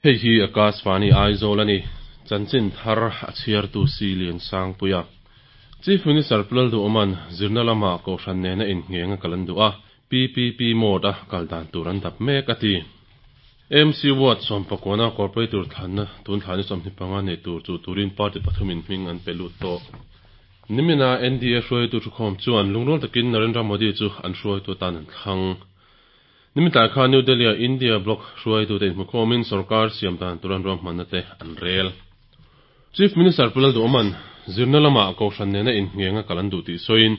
Hei hi Akashvani Aizawl a ni. Chanchin thar a chhiartu si Lian Sangpuia. Chief Minister Pu Lalduhawma'n zirna lama Kohhran nena inngheng a kal an duh a, PPP mode a kal dan tur an dap mek a ti. AMC Ward sawmpakuana Corporator thlanna tun thla ni 25 nei tur chu turin party pathumin hming an pe lut tawh. Nimina NDA hruaitu thukhawm chuan lungrual takin Narendra Modi chu an hruaitu atan an thlang. Nimin tlai khan New Delhi-a India bloc hruaitute inhmukhawmin sorkar siam dan tur an ruahmanna te an rel. Chief Minister Pu Lalduhawma'n zirna lamah Kohhran nena inngheng a kal an duh tih sawiin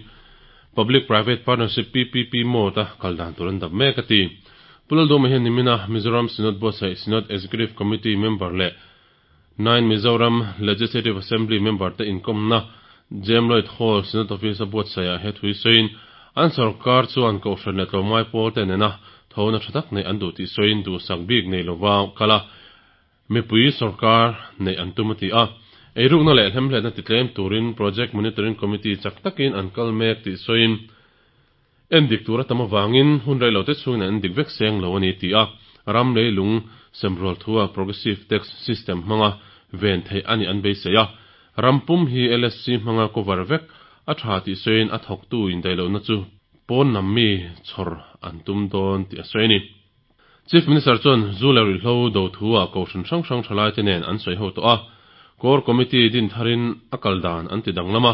Public Private Partnership, PPP, mode a kal dan tur an dap mek a ti. Pu Lalduhawma hian nimina Mizoram Synod buatsaih Synod Executive Committee member leh Nine Mizoram Legislative Assembly member te inkawmna Jem Lloyd Hall Synod Office a buatsaihah he thui sawiin an sorkar chuan Kohhran leh tlawmngai pawl te nena thona tha tak neih an duh tih sawiin duhsak bik nei lova kal a mipui sorkar neih an tum a ti a. Eirukna leh hlemhletna titlem turin Project Monitoring Committee chak takin an kal mek tih sawiin En dik tur a tam avangin hun rei lo te chhungin an en dik vek seng lo a ni ti a, ram leilung semrual thua progressive tax system hmanga ven theih a nih an beisei a. Ram pum hi LSC hmanga cover vek a tha tih sawiin a thawktu indaihlohna chu pawn lam mi chhawr an tum dawn tih a sawi a ni. Chief Minister chuan zu leh ruihhlo do thu-ah kohhran hrang hrang thalaite nen an sawi ho tawh a, Core Committee din tharin a kal dan an ti danglam a,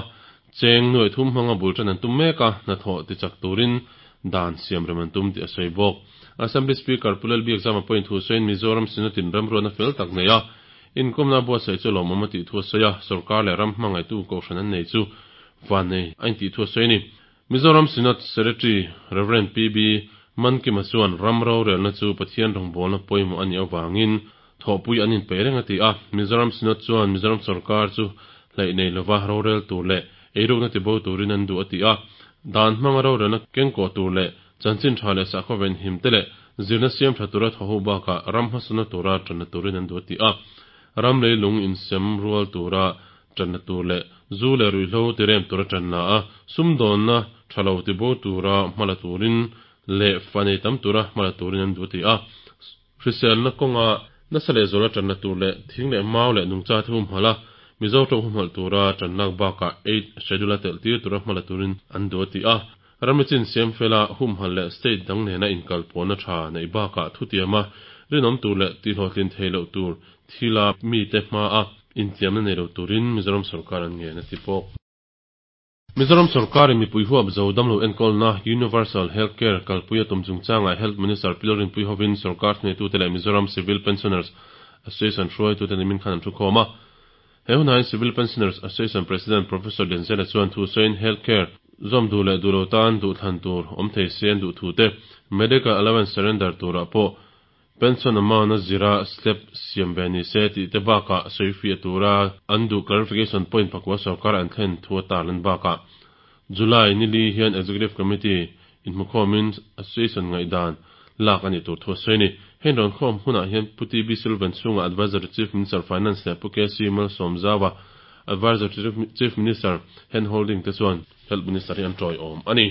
cheng nuaih thum hmanga bul tan an tum mek a, hnathawh tichak turin dan siam rem an tum tih a sawi bawk. Assembly Speaker Pu Lalbiakzama pawhin thu sawiin Mizoram Synod-in remruatna fel tak nei a, inkawmna buatsaih chu lawmawm a tih thu a sawi a, sorkar leh ram hmangaihtu kohhran an nei chu vannei a intih thu a sawi a ni. Mizoram Synod Secretary Rev. PB Mankima chuan ram rorelna chu Pathian rawngbawlna pawimawh a nih avangin thawhpui an inpeih reng a ti a. Mizoram Synod chuan Mizoram sorkar chu hleih nei lova rorel tur leh eirukna tibo turin an duh a ti a. Dan hmanga rorelna kengkawh tur leh chanchin tha leh sakhaw venhim te leh zirna siam tha tura thawhu bakah ram hmasawnna tura tanna turin an duh a ti a. Ram leilung insem rual tura Ṭanna tur leh zu leh ruihhlo tirem tura ṭan la a, sumdawnna ṭha lo tibo tura hma la turin leh fa nei tam tura hma la turin an duh a ti a. Hriselna kawnga nasa leh zuala ṭanna tur leh thing leh mau leh nungcha te humhalh a, Mizo ṭawng humhalh tura ṭan lak bakah Eight Schedule a telh tir tura hma la turin an duh a ti a. Ramri chin siam fela humhalh leh state dang nena inkalpawhna ṭha neih bakah thutiama rinawm tur leh tihhlawhtlin thei loh tur thila mite hmaa intiamna nei lo turin Mizoram sorkar an ngen a ti bawk. Mizoram sorkarin mipui huap zo damlo enkawlna Universal Health Care kalpui a tum chungchangah Health Minister Pi Lalrinpuii hovin sorkar thuneitute leh Mizoram Civil Pensioners Association hruaitute nimin khan an thukhawm a. He hunah hian Civil Pensioners Association President Professor Denzela chuan thu sawiin Health Care zawm duh leh duh lo tan duhthlan tur awm thei se an duh thu te, Medical Allowance surrender turah pawh pension amount a zira slab siam ve ni se tih te bakah sawifiah tura an duh clarification point pakua sorkar an thlen thu a tarlan bakah July nili hian Executive Committee inhmukhawmin Association ngaihdan lak a nih tur thu a sawi a ni. Heng rawnkhawm hunah hian Pu TB Silvan chhunga Adviser to Chief Minister Finance leh Pu KC Malsawmzaua Adviser to Chief Minister Hand Holding te chuan Health Minister hi an tawiawm a ni.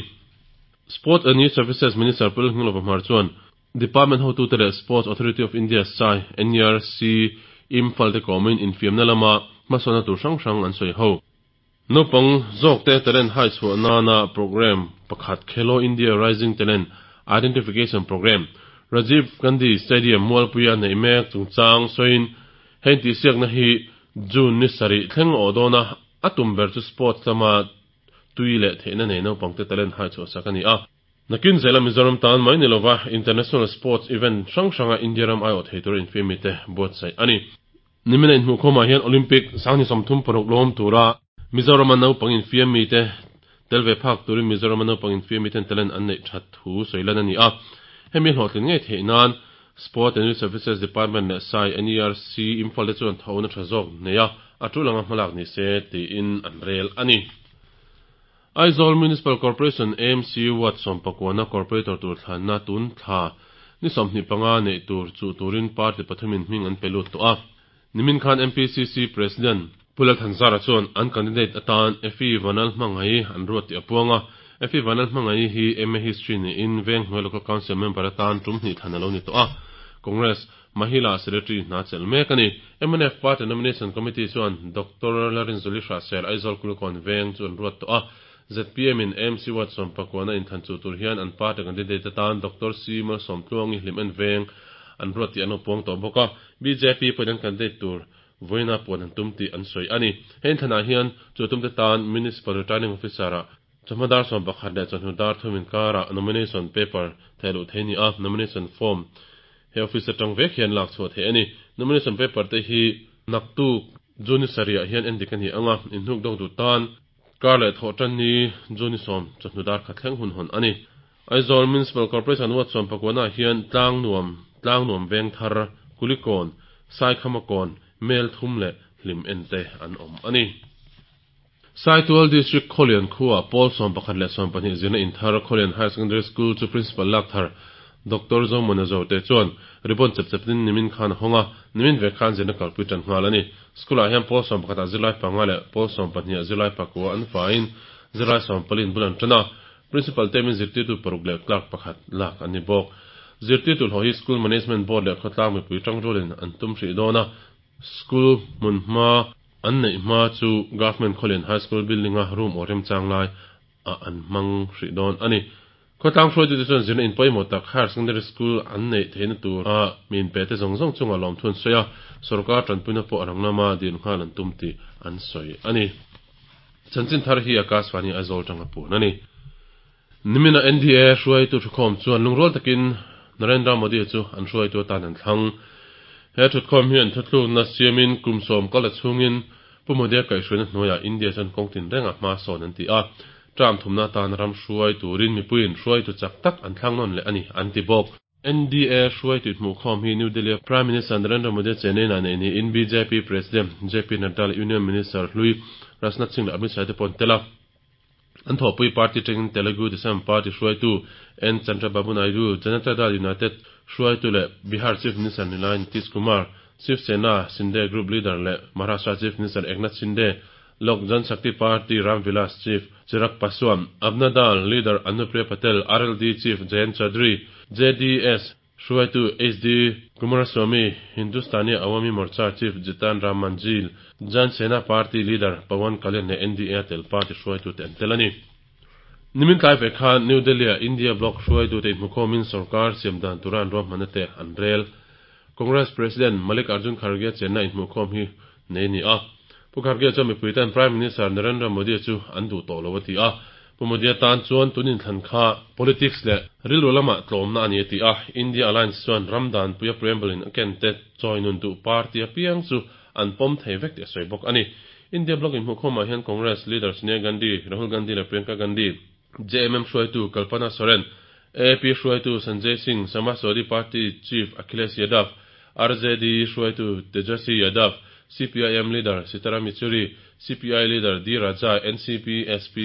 Sports and Youth Services Minister Pu Lalnghinglova Hmar chuan Department hotute leh Sports Authority of India, sai, NERC, Imphal te kawmin infiamna lama hmasawnna tur hrang hrang an sawi ho. Naupang zawkte talent hai chhuah nana programme pakhat Khelo India Rising Talent Identification Programme, Rajiv Gandhi Stadium Mualpuia neih mek chungchang sawiin heng tihsiakna hi June ni sarih thleng awh dawna a tum ber chu sports lama tui leh theihna nei naupangte talent hai chhuah sak a ni a. Nakin zela Mizoram tan mai ni lova international sports event hrang hranga India ram aiawh thei tura infiamite buatsaih a ni. Nimina inhmuhkhawmah hian Olympic 2036 lawm tura Mizorama naupang infiamite tel ve phak turin Mizorama naupang infiamiten talent an neih that thu sawi lan a ni a. Hemi hlawhtlin ngei theih nan Sport and Youth Services Department leh sai NERC Imphal te chuan thawhna tha zawk nei a, a tul anga hmalak ni se tiin an rel a ni. Aizawl Municipal Corporation, AMC, Ward sawmpakuana Corporator tur thlanna tun thla ni 25 neih tur chuh turin party pathumin hming an pe lut tawh a. Nimin khan MPCC President Pu Lalthanzara chuan an candidate atan Effie Vanlalhmangaii an ruat tih a puang a. Effie Vanlalhmangaii hi MA History niin Venghnuai Local Council member atan tum hnih thlan a lo ni tawh a. Congress Mahila Secretary hna chelh mek a ni. Mnf Party Nomination Committee chuan Doctor Lalrinzuli Hrahsel Aizawl Kulikawn Veng chu an ruat tawh a. Zpm in AMC Ward sawmpakuana inthlan chuh tur hian an party candidate atan Doctor C Malsawmtluangi Hlimen Veng an ruat tih an lo puang tawh bawk a. Bjp pawhin an candidate tur vawiina puan an tum tih an sawi a ni. He inthlanah hian chu tumte tan Municipal Returning Officer-ah chawhma dar 11 leh chawhnu dar thum inkarah nomination paper theih luh theih a ni a, nomination form he office atang vek hian lak chhuah theih a ni. Nomination paper te hi naktuk June ni sarihah hian endik a ni ang a, inhnuk dawk duh tan kar leh thawh tan ni June ni 10 chawhnu dar khat thleng hun hawn a ni. Aizawl Municipal Corporation Ward 19 ah hian Tlangnuam, Tlangnuam Vengthar, Kulikawn, Saikhamakawn, Melthum leh Hlim ente an awm a ni. Saitual District Khawlian khuaah pawl 11 leh 12 zirna inthar Khawlian Higher Secondary School chu Principal Lakthar Doctor Zomona Zote chuan ribbon chep chepin nimin khan a hawng a, nimin vek khan zirna kalpui tan nghal a ni. School-ah hian pawl 11 ah zirlai panga leh pawl 12 ah zirlai pakua an faiin zirlai 14 in bul an tan a, Principal temin zirtirtu paruk leh clerk pakhat lak an ni bawk. Zirtirtu hlawh hi School Management Board leh khawtlang mipui tangrualin an tum hrih dawn a, School hmunhma an neih hma chu Government Khawlian High School building-a room aw remchang lai ah an hmang hrih dawn a ni. Khawtlang hruaitute chuan zirna in pawimawh tak Higher Secondary School an neih theihna tura mi inpete zawng zawng chungah lawmthu an sawi a, sorkar tanpuina pawh a rang lama dil nghal an tum tih an sawi a ni. Chanchin thar hi Akashvani Aizawl tanga puan a ni. Nimina NDA hruaitu thukhawm chuan lungrual takin Narendra Modi chu an hruaitu atan an thlang. He thutkhawm hian thuthlukna siamin kum 10 kal a chhungin Pu Modi-a kaihhruaina hnuaiah India chuan kawng tinrenga hma sawn an ti a. Term thumna atan ram hruai turin mipuiin hruaitu chak tak an thlang nawn leh a ni, an ti bawk. NDA hruaitu hmuhkhawm hi New Delhi-a Prime Minister Narendra Modi chenena neih niin bjp President JP Nadda leh Union Minister hlui Rajnath Singh leh Amit Shah te pawh an tel a. An thawhpui party tangin Telugu Desam Party hruaitu N Chandrababu Naidu, Janata Dal United hruaitu leh Bihar Chief Minister nilai Nitish Kumar, Shiv Sena Shinde Group Leader leh Maharashtra Chief Minister Eknath Shinde, Lok Janshakti Party Ram Vilas Chief Chirag Paswan, Apna Dal Leader Anupriya Patel, RLD Chief Jayant Chaudhary, JDS hruaitu HD Kumaraswamy, Hindustani Awami Morcha Chief Jitan Ram Manjhi, Jan Sena Party Leader Pawan Kalyan leh NDA tel party hruaitute an tel a ni. Nimin tlai ve khan New Delhi-ah India Bloc hruaitute inhmukhawmin sorkar siam dan tura an ruahmanna te an rel. Congress President Mallikarjun Kharge chenna inhmuhkhawm hi nei a ni a. Pu Kharge chuan mipui tan Prime Minister Narendra Modi chu an duh tawh lo a ti a. Pu Modi-a tan chuan tun inthlan kha politics leh rilru lamah tlawmna a ni a ti a. India Alliance chuan ram danpuia preamble in a ken te chawi nun duh party apiang chu an pawm thei vek tih a sawi bawk a ni. India Bloc inhmuhkhawmah hian Congress leader Sonia Gandhi, Rahul Gandhi leh Priyanka Gandhi, JMM hruaitu Kalpana Soren, AAP hruaitu Sanjay Singh, Samajwadi Party Chief Akhilesh Yadav, RJD hruaitu Tejaswi Yadav, CPIM leader Sitaram Yechury, CPI leader D Raja, NCP, SP,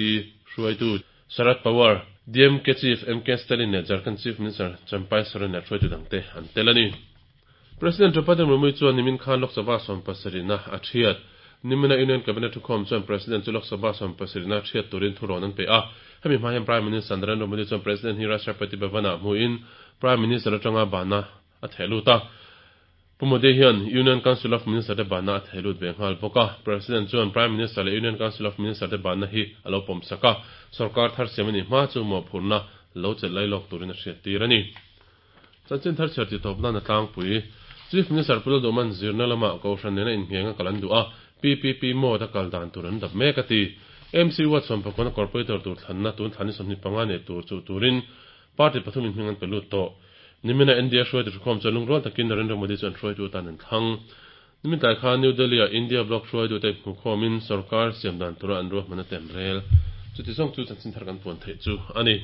hruaitu Sharad Pawar, DMK Chief MK Stalin leh Jharkhand Chief Minister Champai Soren leh hruaitu dangte an tel a ni. President Draupadi Murmu chuan nimin khan Lok Sabha 70na a thiat. Nimina Union Cabinet thukhawm chuan President chu Lok Sabha 70na thiat turin thurawn an pe a. Hemi hma hian Prime Minister Narendra Modi chuan President hi Rashtrapati Bhavan-ah hmuhin Prime Minister atanga banna a theh lut a. Pu Modi hian Union Council of Minister te banna a theh lut ve nghal bawk a. President chuan Prime Minister leh Union Council of Minister te banna hi a lo pawmsak a. Sorkar thar siam a nih hma chu mawhphurhna lo chelh lailawk turin a hriattir a ni. Chanchin thar chhiar tih tawp nan a tlangpui. Chief Minister Pu Lalduhman zirna lamah Kohhran nena inngheng a kal an duh a, PPP mode a kal dan tur an dap mek a ti. MC Ward sawmpakawna Corporator tur thlanna tun thlan ni 25 nei tur chuh turin party pathum in hming an pe lut tawh. Nimina India hruaitu thukhawm chuan lungrual takin Narendra Modi chu an hruaitu atan an thlang. Nimin tlai khan New Delhi-ah India Bloc hruaitute hmuhkhawmin sorkar siam dan tura an ruahman a tem rel. Chuti zawng chu chanchin thar kan puan theih chu a ni.